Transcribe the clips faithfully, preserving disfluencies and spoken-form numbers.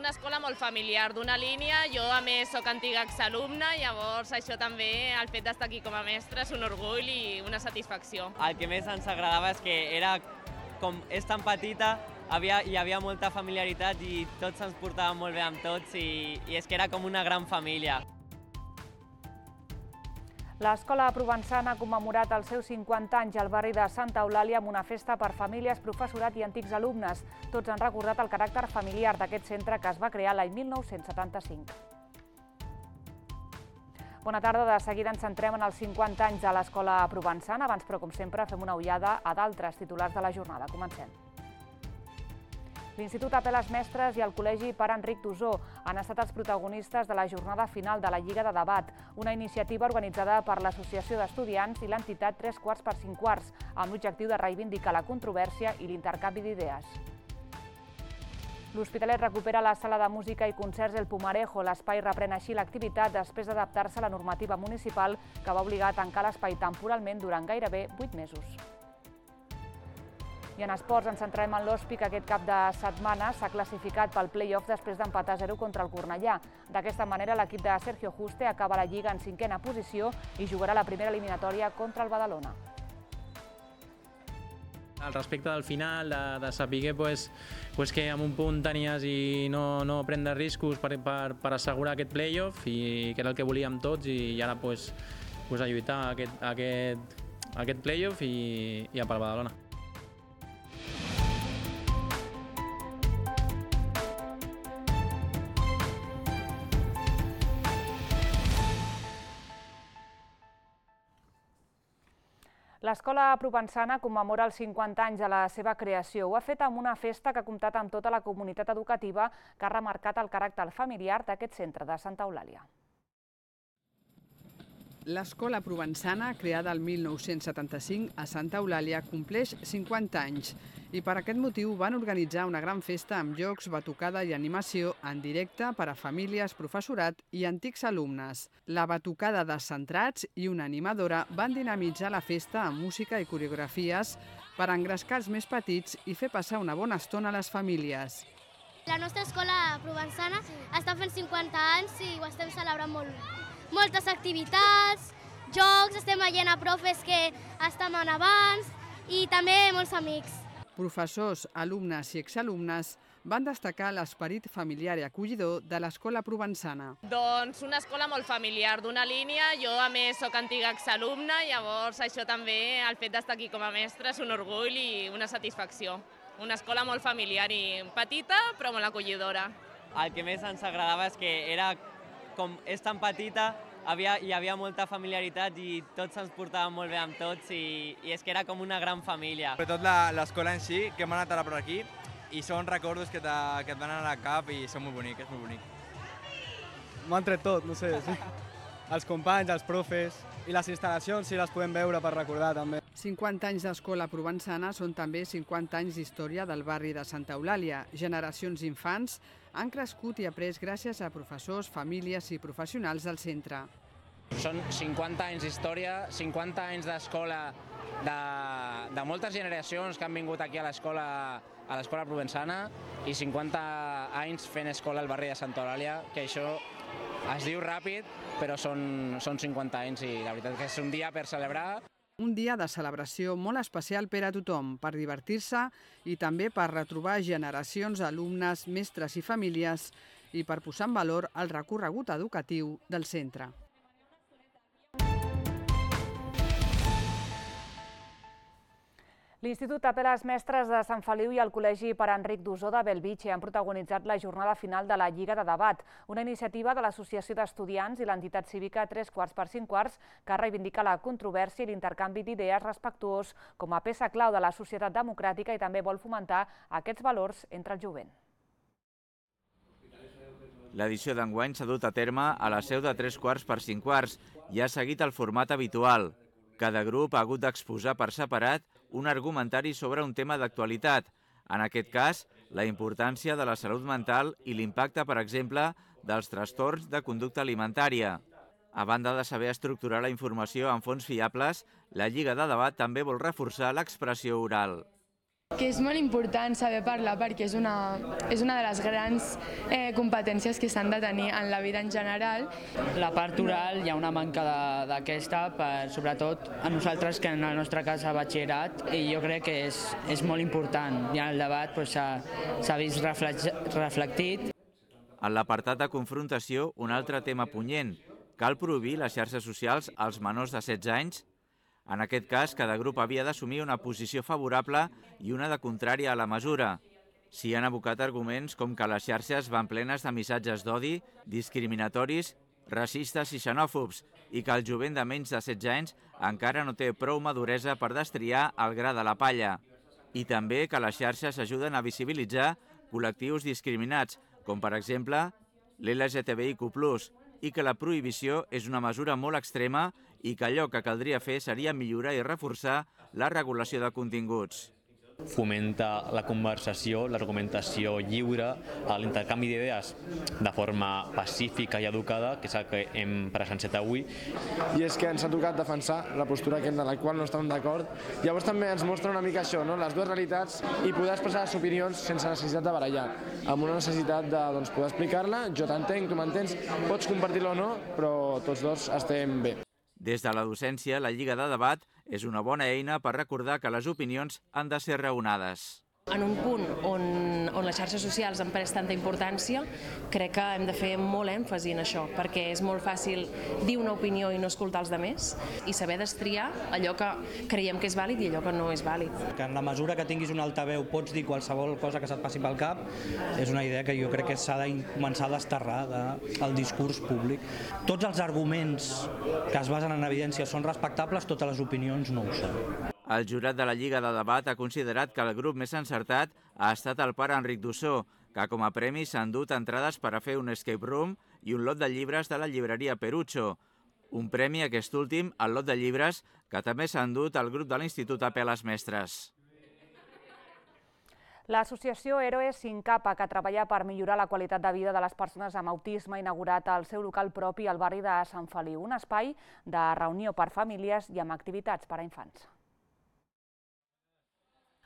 una escola molt familiar, d'una línia. Jo, a més, sóc antiga exalumna, llavors això també, el fet d'estar aquí com a mestra, és un orgull i una satisfacció. El que més ens agradava és que era, com és tan petita, havia, hi havia molta familiaritat i tots ens portàvem molt bé amb tots i, i és que era com una gran família. L'Escola Provençana ha commemorat els seus cinquanta anys al barri de Santa Eulàlia amb una festa per famílies, professorat i antics alumnes. Tots han recordat el caràcter familiar d'aquest centre que es va crear l'any mil nou-cents setanta-cinc. Bona tarda, de seguida ens centrem en els cinquanta anys de l'Escola Provençana. Abans, però, com sempre, fem una ullada a d'altres titulars de la jornada. Comencem. L'Institut Apel·les Mestres i el Col·legi Pare Enric d'Osor han estat els protagonistes de la jornada final de la Lliga de Debat, una iniciativa organitzada per l'Associació d'Estudiants i l'entitat Tres Quarts per Cinc Quarts, amb l'objectiu de reivindicar la controvèrsia i l'intercanvi d'idees. L'Hospitalet recupera la sala de música i concerts El Pumarejo. L'espai reprèn així l'activitat després d'adaptar-se a la normativa municipal que va obligar a tancar l'espai temporalment durant gairebé vuit mesos. I en esports ens centrem en l'Hospi, que aquest cap de setmana s'ha classificat pel play-off després d'empatar a zero contra el Cornellà. D'aquesta manera, l'equip de Sergio Juste acaba la Lliga en cinquena posició i jugarà la primera eliminatòria contra el Badalona. Al respecte del final, de, de saber pues, pues que amb un punt tenies i no, no prendre riscos per, per, per assegurar aquest play-off, i que era el que volíem tots, i ara pues, pues, a lluitar aquest, aquest, aquest play-off i, i a pel Badalona. L'Escola Provençana commemora els cinquanta anys de la seva creació. Ho ha fet amb una festa que ha comptat amb tota la comunitat educativa, que ha remarcat el caràcter familiar d'aquest centre de Santa Eulàlia. L'Escola Provençana, creada el mil nou-cents setanta-cinc a Santa Eulàlia, compleix cinquanta anys i per aquest motiu van organitzar una gran festa amb jocs, batucada i animació en directe per a famílies, professorat i antics alumnes. La batucada de centrats i una animadora van dinamitzar la festa amb música i coreografies per engrescar els més petits i fer passar una bona estona a les famílies. La nostra escola provençana està fent cinquanta anys i ho estem celebrant molt. Moltes activitats, jocs, estem veient a profes que estaven abans i també molts amics. Professors, alumnes i exalumnes van destacar l'esperit familiar i acollidor de l'Escola Provençana. Doncs una escola molt familiar, d'una línia. Jo, a més, sóc antiga exalumna, llavors això també, el fet d'estar aquí com a mestra, és un orgull i una satisfacció. Una escola molt familiar i petita, però molt acollidora. El que més ens agradava és que era, com és tan petita, havia, hi havia molta familiaritat i tots ens portàvem molt bé amb tots i, i és que era com una gran família. Sobretot l'escola en si, que hem anat ara per aquí, i són records que, que et van anar al cap i són molt bonics, és molt bonic. M'ho han tret tot, no sé, sí. Els companys, els profes i les instal·lacions, si les podem veure per recordar també. cinquanta anys d'Escola Provençana són també cinquanta anys d'història del barri de Santa Eulàlia. Generacions d'infants han crescut i après gràcies a professors, famílies i professionals del centre. Són cinquanta anys d'història, cinquanta anys d'escola de, de moltes generacions que han vingut aquí a l'escola a l'escola provençana i cinquanta anys fent escola al barri de Santa Eulàlia, que això es diu ràpid, però són, són cinquanta anys i la veritat que és un dia per celebrar. Un dia de celebració molt especial per a tothom, per divertir-se i també per retrobar generacions d'alumnes, mestres i famílies i per posar en valor el recorregut educatiu del centre. L'Institut Apel·les Mestres de Sant Feliu i el Col·legi Pare Enric d'Osor de Bellvitge han protagonitzat la jornada final de la Lliga de Debat, una iniciativa de l'Associació d'Estudiants i l'entitat cívica Tres Quarts per Cinc Quarts que reivindica la controvèrsia i l'intercanvi d'idees respectuós com a peça clau de la societat democràtica i també vol fomentar aquests valors entre el jovent. L'edició d'enguany s'ha dut a terme a la seu de Tres Quarts per Cinc Quarts i ha seguit el format habitual. Cada grup ha hagut d'exposar per separat un argumentari sobre un tema d'actualitat, en aquest cas, la importància de la salut mental i l'impacte, per exemple, dels trastorns de conducta alimentària. A banda de saber estructurar la informació en fonts fiables, la Lliga de Debat també vol reforçar l'expressió oral. Que és molt important saber parlar perquè és una, és una de les grans eh, competències que s'han de tenir en la vida en general. La part oral hi ha una manca d'aquesta, sobretot a nosaltres que en el nostre cas a batxillerat, i jo crec que és, és molt important. I en el debat s'ha vist reflectit. En l'apartat de confrontació, un altre tema punyent. Cal prohibir les xarxes socials als menors de setze anys? En aquest cas, cada grup havia d'assumir una posició favorable i una de contrària a la mesura. S'hi han abocat arguments com que les xarxes van plenes de missatges d'odi, discriminatoris, racistes i xenòfobs i que el jovent de menys de setze anys encara no té prou maduresa per destriar el gra de la palla. I també que les xarxes ajuden a visibilitzar col·lectius discriminats, com per exemple l'L G T B I Q plus, i que la prohibició és una mesura molt extrema i que allò que caldria fer seria millorar i reforçar la regulació de continguts. Fomenta la conversació, l'argumentació lliure, l'intercanvi d'idees de forma pacífica i educada, que és el que hem presenciat avui. I és que ens ha tocat defensar la postura en la qual no estàvem d'acord. Llavors també ens mostra una mica això, no? Les dues realitats, i poder expressar les opinions sense necessitat de barallar, amb una necessitat de doncs, poder explicar-la, jo t'entenc, tu m'entens, pots compartir-la o no, però tots dos estem bé. Des de la docència, la Lliga de Debat és una bona eina per recordar que les opinions han de ser raonades. En un punt on, on les xarxes socials han pres tanta importància, crec que hem de fer molt èmfasi en això, perquè és molt fàcil dir una opinió i no escoltar els altres i saber destriar allò que creiem que és vàlid i allò que no és vàlid. Que en la mesura que tinguis un altaveu pots dir qualsevol cosa que se't passi pel cap, és una idea que jo crec que s'ha de començar a desterrar del discurs públic. Tots els arguments que es basen en evidència són respectables, totes les opinions no ho són. El jurat de la Lliga de Debat ha considerat que el grup més encertat ha estat el pare Enric Dussó, que com a premi s'ha endut entrades per a fer un escape room i un lot de llibres de la llibreria Perucho. Un premi, aquest últim, al lot de llibres, que també s'ha endut el grup de l'Institut Apel·les Mestres. L'associació Héroes Sin Capa, que treballa per millorar la qualitat de vida de les persones amb autisme, ha inaugurat el seu local propi al barri de Sant Feliu, un espai de reunió per famílies i amb activitats per a infants.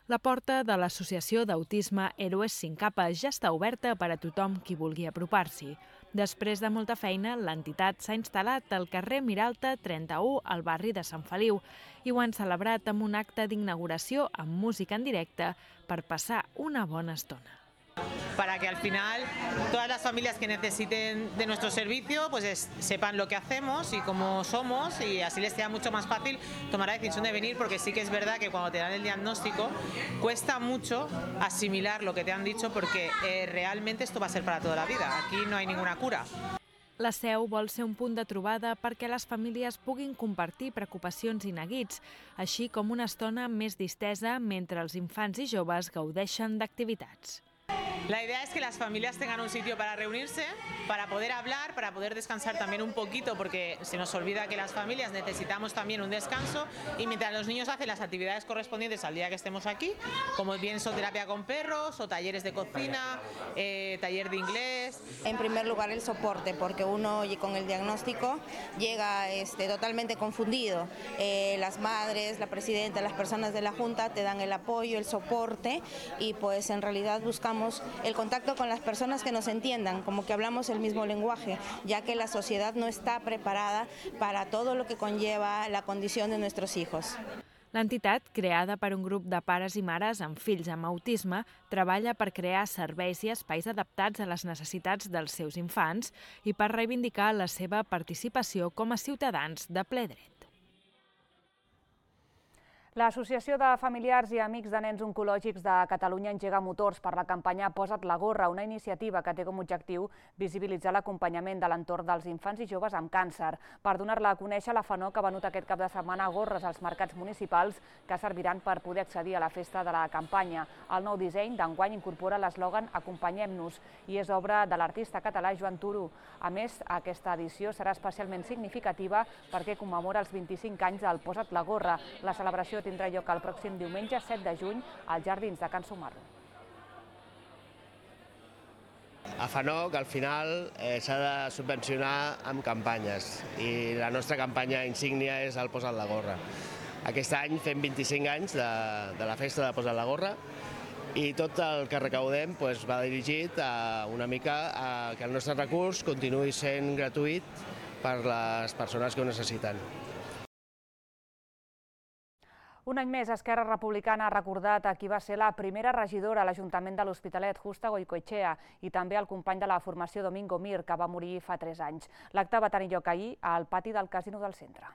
La porta de l'Associació d'Autisme Héroes Sin Capa ja està oberta per a tothom qui vulgui apropar-s'hi. Després de molta feina, l'entitat s'ha instal·lat al carrer Miralta trenta-u, al barri de Sant Feliu, i ho han celebrat amb un acte d'inauguració amb música en directe per passar una bona estona. Para que al final todas las familias que necesiten de nuestro servicio pues es, sepan lo que hacemos y cómo somos, y así les sea mucho más fácil tomar la decisión de venir, porque sí que es verdad que cuando te dan el diagnóstico cuesta mucho asimilar lo que te han dicho, porque eh, realmente esto va a ser para toda la vida, aquí no hay ninguna cura. La seu vol ser un punt de trobada perquè les famílies puguin compartir preocupacions i neguits, així com una estona més distesa mentre els infants i joves gaudeixen d'activitats. La idea es que las familias tengan un sitio para reunirse, para poder hablar, para poder descansar también un poquito, porque se nos olvida que las familias necesitamos también un descanso, y mientras los niños hacen las actividades correspondientes al día que estemos aquí, como bien son terapia con perros o talleres de cocina, eh, taller de inglés. En primer lugar el soporte, porque uno con el diagnóstico llega este, totalmente confundido. Eh, las madres, la presidenta, las personas de la Junta te dan el apoyo, el soporte, y pues en realidad buscamos el contacto con las personas que nos entiendan, como que hablamos el mismo lenguaje, ya que la sociedad no está preparada para todo lo que conlleva la condición de nuestros hijos. L'entitat, creada per un grup de pares i mares amb fills amb autisme, treballa per crear serveis i espais adaptats a les necessitats dels seus infants i per reivindicar la seva participació com a ciutadans de ple dret. L'Associació de Familiars i Amics de Nens Oncològics de Catalunya engega motors per la campanya Posa't la gorra, una iniciativa que té com a objectiu visibilitzar l'acompanyament de l'entorn dels infants i joves amb càncer. Per donar-la a conèixer, la FANOC ha venut aquest cap de setmana gorres als mercats municipals que serviran per poder accedir a la festa de la campanya. El nou disseny d'enguany incorpora l'eslògan Acompanyem-nos i és obra de l'artista català Joan Turu. A més, aquesta edició serà especialment significativa perquè commemora els vint-i-cinc anys del Posa't la gorra. La celebració tindrà lloc el pròxim diumenge set de juny als Jardins de Can Sumarro. A FANOC, al final, eh, s'ha de subvencionar amb campanyes i la nostra campanya insígnia és el Posa't la gorra. aquest any fem vint-i-cinc anys de, de la festa de Posa't la gorra i tot el que recaudem doncs, va dirigit a una mica a que el nostre recurs continuï sent gratuït per les persones que ho necessiten. Un any més, Esquerra Republicana ha recordat a qui va ser la primera regidora a l'Ajuntament de l'Hospitalet, Justa Goicoechea, i també al company de la formació Domingo Mir, que va morir fa tres anys. L'acte va tenir lloc ahir al pati del Casino del Centre.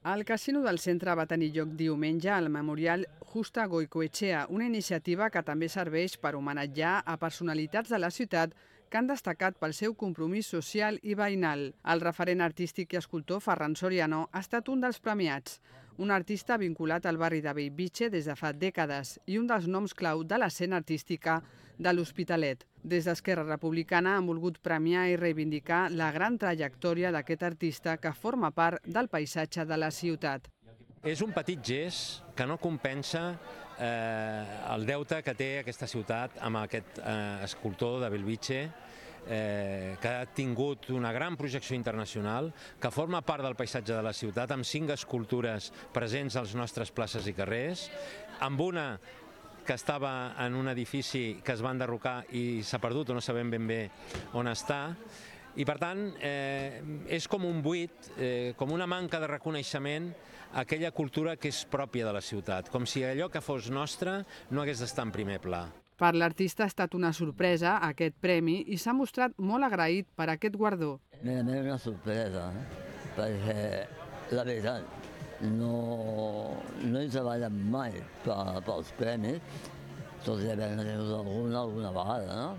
Al Casino del Centre va tenir lloc diumenge al Memorial Justa Goicoechea, una iniciativa que també serveix per homenatjar a personalitats de la ciutat que han destacat pel seu compromís social i veïnal. El referent artístic i escultor Ferran Soriano ha estat un dels premiats, un artista vinculat al barri de Bellvitge des de fa dècades i un dels noms clau de l'escena artística de l'Hospitalet. Des d'Esquerra Republicana han volgut premiar i reivindicar la gran trajectòria d'aquest artista que forma part del paisatge de la ciutat. És un petit gest que no compensa eh, el deute que té aquesta ciutat amb aquest eh, escultor de Bellvitge, eh, que ha tingut una gran projecció internacional, que forma part del paisatge de la ciutat, amb cinc escultures presents als nostres places i carrers, amb una que estava en un edifici que es va enderrocar i s'ha perdut o no sabem ben bé on està. I per tant, eh, és com un buit, eh, com una manca de reconeixement a aquella cultura que és pròpia de la ciutat, com si allò que fos nostre no hagués d'estar en primer pla. Per l'artista ha estat una sorpresa aquest premi i s'ha mostrat molt agraït per aquest guardó. Mira, és una sorpresa, eh? Perquè la veritat no, no he treballat mai per, pels premis, tot i haver-ne tingut alguna, alguna vegada, no?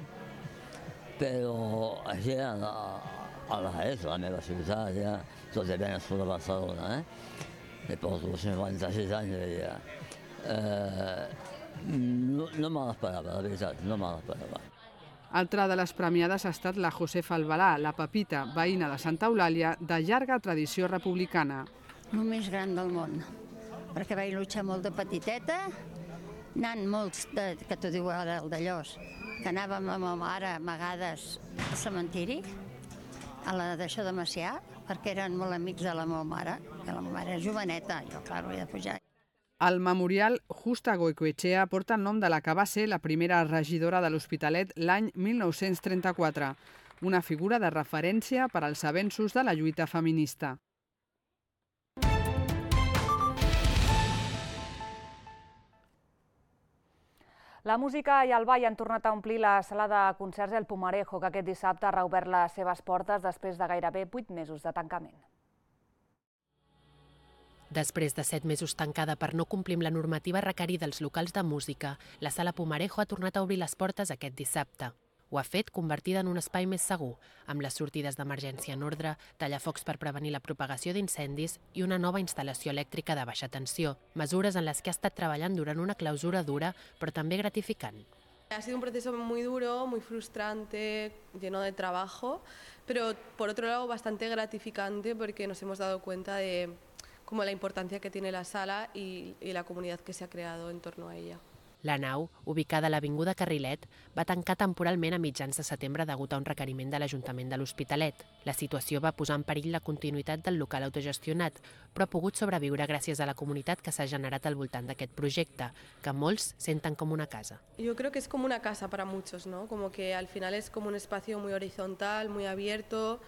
Però així a la, a la és, la meva ciutat, ja, tot i haver nascut a Barcelona, eh? Me porto cinquanta-sis anys, ja. Eh, no no me l'esperava, la veritat, no me l'esperava. Altra de les premiades ha estat la Josefa Albalà, la Pepita, veïna de Santa Eulàlia, de llarga tradició republicana. El més gran del món, perquè vaig luchar molt de petiteta, anant molts, de, que t'ho diu ara el d'Allòs, que anàvem amb la meva mare amagades al cementiri, a la d'això de Macià, perquè eren molt amics de la meva mare, que la meva mare era joveneta, jo, clar, havia de pujar. El memorial Justa Goicoechea porta el nom de la que va ser la primera regidora de l'Hospitalet l'any mil nou-cents trenta-quatre, una figura de referència per als avenços de la lluita feminista. La música i el ball han tornat a omplir la sala de concerts El Pumarejo, que aquest dissabte ha reobert les seves portes després de gairebé vuit mesos de tancament. Després de set mesos tancada per no complir amb la normativa requerida als locals de música, la sala Pumarejo ha tornat a obrir les portes aquest dissabte. Ho ha fet convertida en un espai més segur, amb les sortides d'emergència en ordre, tallafocs per prevenir la propagació d'incendis i una nova instal·lació elèctrica de baixa tensió, mesures en les que ha estat treballant durant una clausura dura, però també gratificant. Ha sido un proceso muy duro, muy frustrante, lleno de trabajo, pero por otro lado bastante gratificante porque nos hemos dado cuenta de como la importancia que tiene la sala y, y la comunidad que se ha creado en torno a ella. La nau, ubicada a l'Avinguda Carrilet, va tancar temporalment a mitjans de setembre degut a un requeriment de l'Ajuntament de l'Hospitalet. La situació va posar en perill la continuïtat del local autogestionat, però ha pogut sobreviure gràcies a la comunitat que s'ha generat al voltant d'aquest projecte, que molts senten com una casa. Yo creo que es como una casa para muchos, ¿no? Como que al final es como un espacio muy horizontal, muy abierto,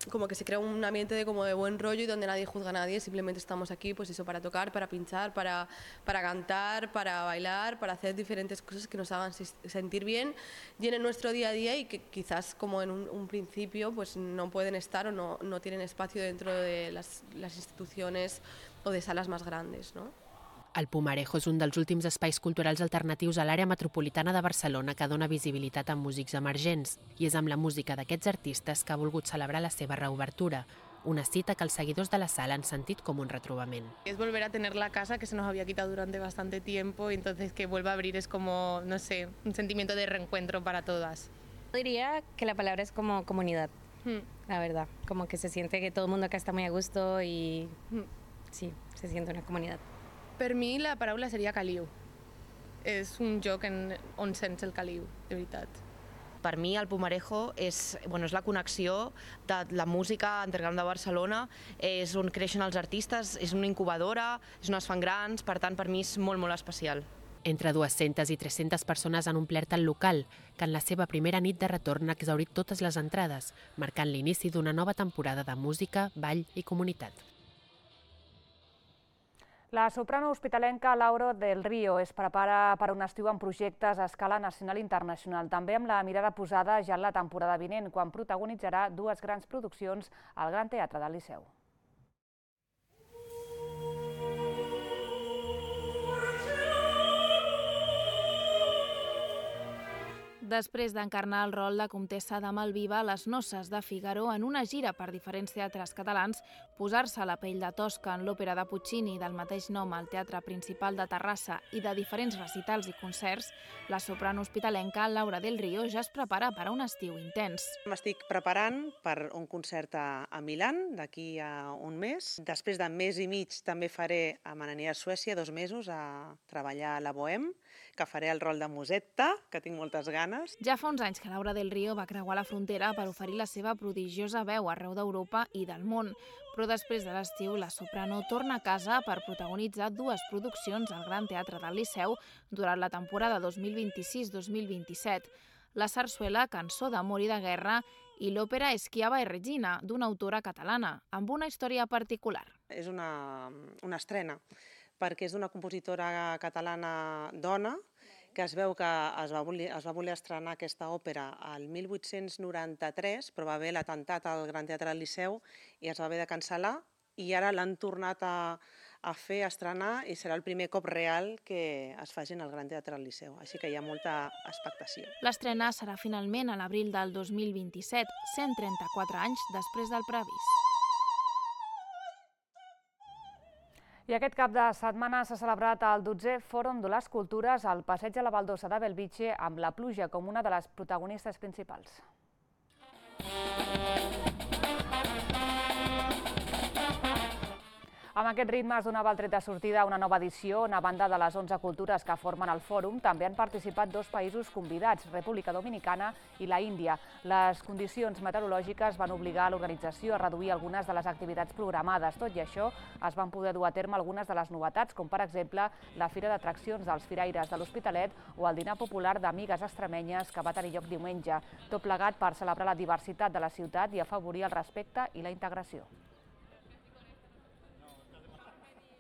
como que se crea un ambiente de, como de buen rollo y donde nadie juzga a nadie, simplemente estamos aquí pues eso, para tocar, para pinchar, para, para cantar, para bailar, para hacer diferentes cosas que nos hagan sentir bien, llenen nuestro día a día y que quizás como en un, un principio pues no pueden estar o no, no tienen espacio dentro de las, las instituciones o de salas más grandes, ¿no? El Pumarejo és un dels últims espais culturals alternatius a l'àrea metropolitana de Barcelona que dona visibilitat a músics emergents i és amb la música d'aquests artistes que ha volgut celebrar la seva reobertura, una cita que els seguidors de la sala han sentit com un retrobament. Es volver a tener la casa que se nos había quitado durante bastante tiempo y entonces que vuelva a abrir es como, no sé, un sentimiento de reencuentro para todas. Diría que la palabra es como comunidad, Hmm. la verdad, como que se siente que todo el mundo acá está muy a gusto y sí, se siente una comunidad. Per mi la paraula seria caliu. És un joc en, on sents el caliu, de veritat. Per mi el Pumarejo és, bueno, és la connexió de la música underground de Barcelona, és on creixen els artistes, és una incubadora, és on es fan grans, per tant per mi és molt, molt especial. Entre dues-centes i tres-centes persones han omplert el local, que en la seva primera nit de retorn ha exhaurit totes les entrades, marcant l'inici d'una nova temporada de música, ball i comunitat. La soprano hospitalenca Laura del Río es prepara per un estiu amb projectes a escala nacional i internacional, també amb la mirada posada ja en la temporada vinent, quan protagonitzarà dues grans produccions al Gran Teatre del Liceu. Després d'encarnar el rol de comtessa de Malviva a les noces de Figaro en una gira per diferents teatres catalans, posar-se a la pell de Tosca en l'òpera de Puccini del mateix nom al Teatre Principal de Terrassa i de diferents recitals i concerts, la soprano hospitalenca Laura del Río ja es prepara per a un estiu intens. M'estic preparant per un concert a, a Milán d'aquí a un mes. Després de mes i mig també faré a Manania a Suècia dos mesos a treballar a la Bohème, que faré el rol de Musetta, que tinc moltes ganes. Ja fa uns anys que Laura del Río va creuar la frontera per oferir la seva prodigiosa veu arreu d'Europa i del món, però després de l'estiu la soprano torna a casa per protagonitzar dues produccions al Gran Teatre del Liceu durant la temporada dos mil vint-i-sis dos mil vint-i-set, la sarsuela Cançó d'amor i de guerra i l'òpera Schiava e Regina, d'una autora catalana, amb una història particular. És una, una estrena, perquè és d'una compositora catalana dona, que es veu que es va, voler, es va voler estrenar aquesta òpera al mil vuit-cents noranta-tres, però va haver l'atemptat al Gran Teatre del Liceu i es va haver de cancel·lar, i ara l'han tornat a, a fer, a estrenar, i serà el primer cop real que es faci en el Gran Teatre del Liceu, així que hi ha molta expectació. L'estrena serà finalment a l'abril del dos mil vint-i-set, cent trenta-quatre anys després del previst. I aquest cap de setmana s'ha celebrat el dotzè Fòrum de les Cultures al Passeig de la Baldosa de Bellvitge, amb la pluja com una de les protagonistes principals. Amb aquest ritme es donava el tret de sortida a una nova edició on, a banda de les onze cultures que formen el fòrum, també han participat dos països convidats, República Dominicana i la Índia. Les condicions meteorològiques van obligar l'organització a reduir algunes de les activitats programades. Tot i això, es van poder dur a terme algunes de les novetats, com per exemple la Fira d'Atraccions dels Firaires de l'Hospitalet o el dinar popular d'amigues extremenyes que va tenir lloc diumenge, tot plegat per celebrar la diversitat de la ciutat i afavorir el respecte i la integració.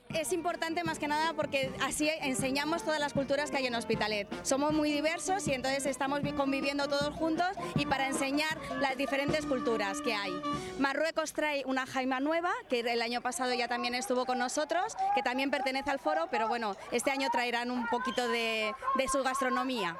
Es importante más que nada porque así enseñamos todas las culturas que hay en Hospitalet. Somos muy diversos y entonces estamos conviviendo todos juntos y para enseñar las diferentes culturas que hay. Marruecos trae una jaima nueva, que el año pasado ya también estuvo con nosotros, que también pertenece al foro, pero bueno, este año traerán un poquito de, de su gastronomía.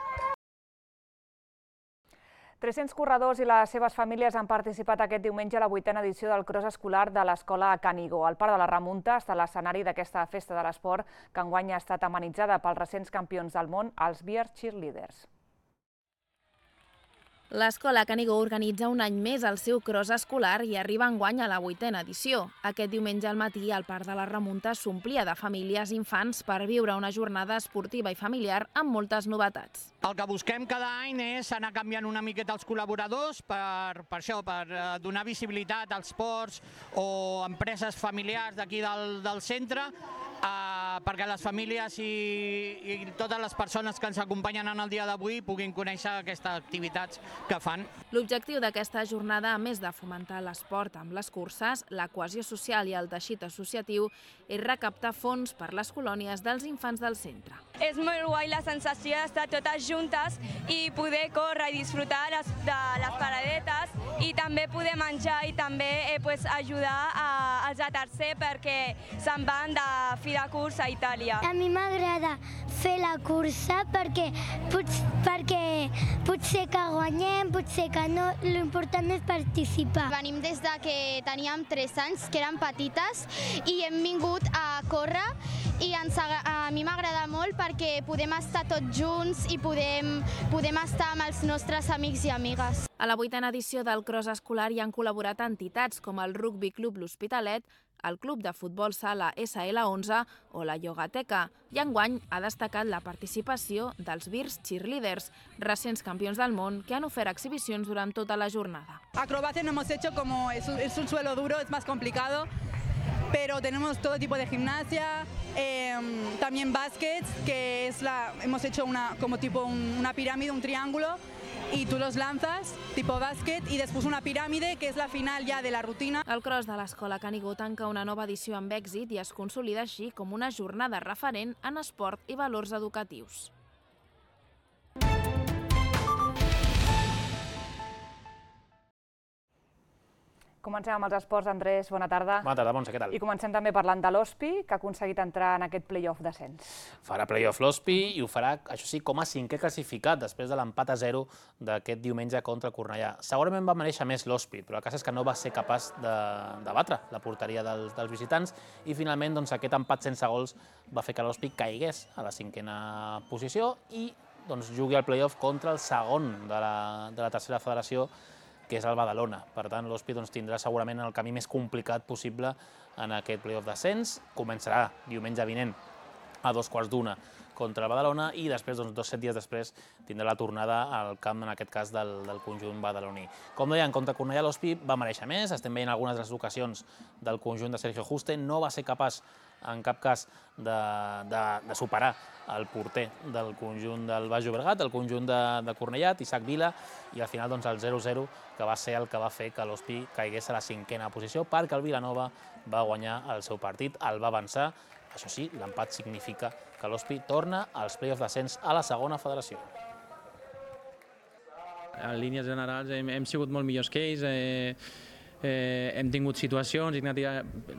tres-cents corredors i les seves famílies han participat aquest diumenge a la vuitena edició del cross escolar de l'escola Canigó. El Parc de la Remunta està a l'escenari d'aquesta festa de l'esport que enguany ha estat amenitzada pels recents campions del món, els Beer Cheerleaders. L'escola Canigó organitza un any més el seu cross escolar i arriba enguany a la vuitena edició. Aquest diumenge al matí el Parc de la Remunta s'omplia de famílies i infants per viure una jornada esportiva i familiar amb moltes novetats. El que busquem cada any és anar canviant una miqueta els col·laboradors per, per això, per donar visibilitat als ports o empreses familiars d'aquí del, del centre, Uh, perquè les famílies i, i totes les persones que ens acompanyen en el dia d'avui puguin conèixer aquestes activitats que fan. L'objectiu d'aquesta jornada, a més de fomentar l'esport amb les curses, la cohesió social i el teixit associatiu, és recaptar fons per les colònies dels infants del centre. És molt guai la sensació d'estar totes juntes i poder córrer i disfrutar les, de les paradetes i també poder menjar i també eh, pues, ajudar a, als de tercer perquè se'n van de fi de curs a Itàlia. A mi m'agrada fer la cursa perquè, pot, perquè potser que guanyem, potser que no, l'important és participar. Venim des de que teníem tres anys, que érem petites, i hem vingut a córrer i ens, a mi m'agrada molt perquè podem estar tots junts i podem, podem estar amb els nostres amics i amigues. A la vuitena edició del Cross Escolar hi han col·laborat entitats com el Rugby Club L'Hospitalet, el Club de Futbol Sala essa ele onze o la Yogateca. I enguany ha destacat la participació dels Virs Cheerleaders, recents campions del món que han ofert exhibicions durant tota la jornada. Acrobacia no hemos hecho como es un, es un suelo duro, es más complicado, pero tenemos todo tipo de gimnasia, eh, también baskets, que es la, hemos hecho una, como tipo un, una pirámide, un triángulo, y tú los lanzas, tipo bàsquet, i després una piràmide, que és la final ja de la rutina. El cross de l'Escola Canigó tanca una nova edició amb èxit i es consolida així com una jornada referent en esport i valors educatius. Comencem amb els esports. Andrés, bona tarda. Bona tarda, Montse, què tal? I comencem també parlant de l'Hospi, que ha aconseguit entrar en aquest play-off d'ascens. Farà play-off l'Hospi i ho farà, això sí, com a cinquè classificat, després de l'empat a zero d'aquest diumenge contra el Cornellà. Segurament va mereixer més l'Hospi, però el cas és que no va ser capaç de, de batre la porteria dels, dels visitants i finalment doncs, aquest empat sense gols va fer que l'Hospi caigués a la cinquena posició i doncs, jugui al play-off contra el segon de la, de la tercera federació, que és el Badalona. Per tant, l'Hospi doncs, tindrà segurament el camí més complicat possible en aquest play-off d'ascens. Començarà diumenge vinent a dos quarts d'una contra el Badalona i després, doncs, dos set dies després, tindrà la tornada al camp, en aquest cas, del, del conjunt badaloní. Com deia, en contra Cornellà, l'Hospi va mereixer més. Estem veient algunes de les ocasions del conjunt de Sergio Juste. No va ser capaç, en cap cas, de, de, de superar el porter del conjunt del Baix Llobregat, el conjunt de, de Cornellà, Isaac Vila, i al final doncs, el zero zero, que va ser el que va fer que l'Hospi caigués a la cinquena posició, perquè el Vilanova va guanyar el seu partit, el va avançar. Això sí, l'empat significa que l'Hospi torna als play-offs d'ascens a la segona federació. En línies generals hem, hem sigut molt millors que ells, eh, eh, hem tingut situacions, Ignati,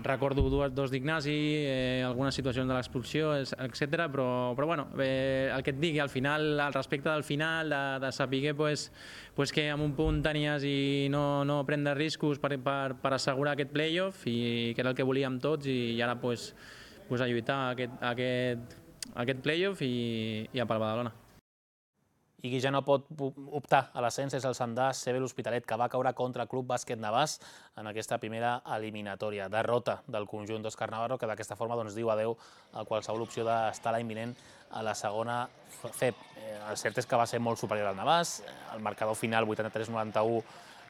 recordo dues, dos d'Ignasi, eh, algunes situacions de l'expulsió, etcètera. Però, però bueno, eh, el que et digui, al final, al respecte del final, de, de saber pues, pues que en un punt tenies i no, no prendre riscos per, per, per assegurar aquest play-off, i que era el que volíem tots, i, i ara pues, pues, a lluitar aquest, aquest, aquest play-off i, i a pel Badalona. I qui ja no pot optar a l'ascens és el Sandà C B l'Hospitalet, que va caure contra el Club Bàsquet Navàs en aquesta primera eliminatòria. Derrota del conjunt d'Òscar Navarro, que d'aquesta forma doncs, diu adeu a qualsevol opció d'estar l'any vinent a la segona F E P. El cert és que va ser molt superior al Navàs. El marcador final, vuitanta-tres noranta-u,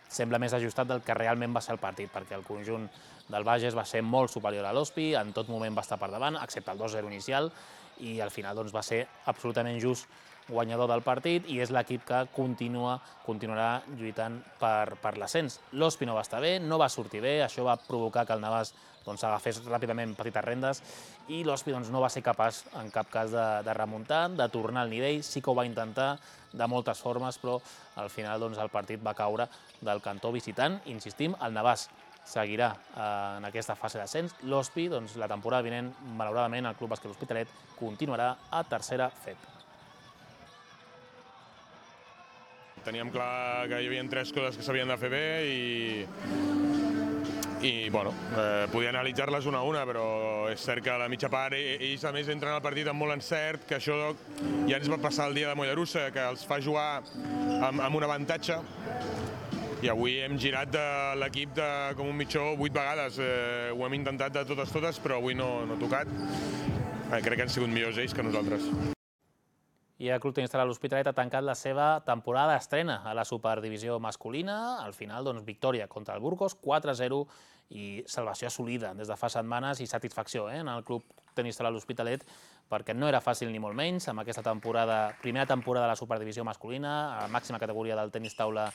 sembla més ajustat del que realment va ser el partit, perquè el conjunt del Bages va ser molt superior a l'Hospi, en tot moment va estar per davant, excepte el dos zero inicial, i al final doncs, va ser absolutament just guanyador del partit i és l'equip que continua, continuarà lluitant per, per l'ascens. L'Hospi no va estar bé, no va sortir bé, això va provocar que el Navàs doncs, agafés ràpidament petites rendes i l'Hospi doncs, no va ser capaç en cap cas de, de remuntar, de tornar al nivell. Sí que ho va intentar de moltes formes, però al final doncs, el partit va caure del cantó visitant. Insistim, el Navàs seguirà eh, en aquesta fase d'ascens. L'Hospi, doncs, la temporada vinent, malauradament, el Club Bàsquet L'Hospitalet continuarà a tercera F E P. Teníem clar que hi havia tres coses que s'havien de fer bé i, i bueno, eh, podia analitzar-les una a una, però és cert que a la mitja part ells a més entren al partit amb molt encert, que això ja ens va passar el dia de Mollerussa, que els fa jugar amb, amb un avantatge, i avui hem girat de l'equip com un mitjó vuit vegades. Eh, ho hem intentat de totes totes, però avui no, no ha tocat. Eh, crec que han sigut millors ells que nosaltres. I el Club Tenista de l'Hospitalet ha tancat la seva temporada d'estrena a la Superdivisió masculina. Al final, doncs, victòria contra el Burgos, quatre zero, i salvació assolida des de fa setmanes i satisfacció eh, en el Club Tenista de l'Hospitalet, perquè no era fàcil ni molt menys amb aquesta temporada, primera temporada de la Superdivisió masculina, a la màxima categoria del tenis taula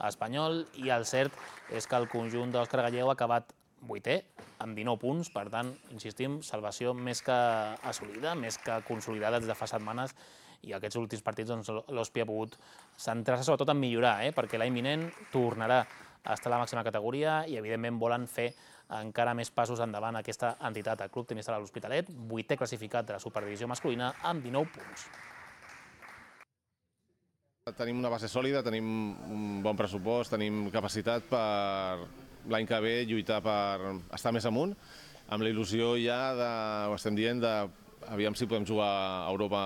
espanyol, i el cert és que el conjunt d'Òscar Gallego ha acabat vuitè, amb dinou punts, per tant, insistim, salvació més que assolida, més que consolidada des de fa setmanes, i aquests últims partits doncs, l'Hospi ha pogut centrar-se sobretot en millorar, eh, perquè l'any vinent tornarà a estar a la màxima categoria i, evidentment, volen fer encara més passos endavant aquesta entitat, el Club Tenista de l'Hospitalet, vuitè classificat de la Superdivisió masculina, amb dinou punts. Tenim una base sòlida, tenim un bon pressupost, tenim capacitat per l'any que ve lluitar per estar més amunt. amb la il·lusió ja, de, ho estem dient, de aviam si podem jugar a Europa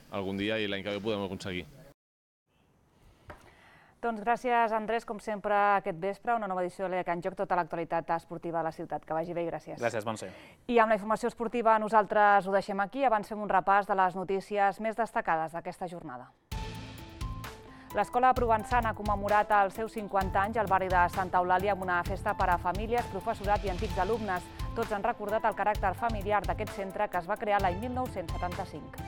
algun dia i l'any que ve ho podem aconseguir. Doncs gràcies, Andrés, com sempre, aquest vespre, una nova edició de l'E D C en joc, tota l'actualitat esportiva de la ciutat. Que vagi bé i gràcies. Gràcies, Montse. I amb la informació esportiva nosaltres ho deixem aquí. Abans fem un repàs de les notícies més destacades d'aquesta jornada. L'Escola Provençana ha commemorat els seus cinquanta anys al barri de Santa Eulàlia amb una festa per a famílies, professorat i antics alumnes. Tots han recordat el caràcter familiar d'aquest centre que es va crear l'any mil nou-cents setanta-cinc.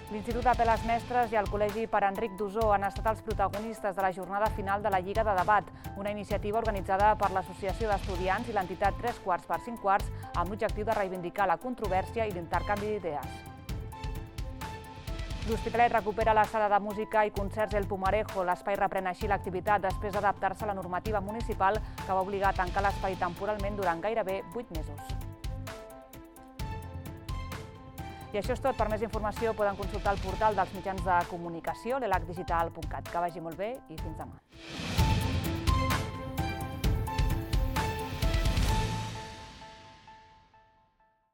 L'Institut d'Apeles Mestres i el Col·legi Pare Enric d'Osor han estat els protagonistes de la jornada final de la Lliga de Debat, una iniciativa organitzada per l'Associació d'Estudiants i l'entitat Tres Quarts per Cinc Quarts amb l'objectiu de reivindicar la controvèrsia i l'intercanvi d'idees. L'Hospitalet recupera la sala de música i concerts El Pumarejo. L'espai reprèn així l'activitat després d'adaptar-se a la normativa municipal que va obligar a tancar l'espai temporalment durant gairebé vuit mesos. I això és tot. Per més informació poden consultar el portal dels mitjans de comunicació, l'elac digital punt cat. Que vagi molt bé i fins demà.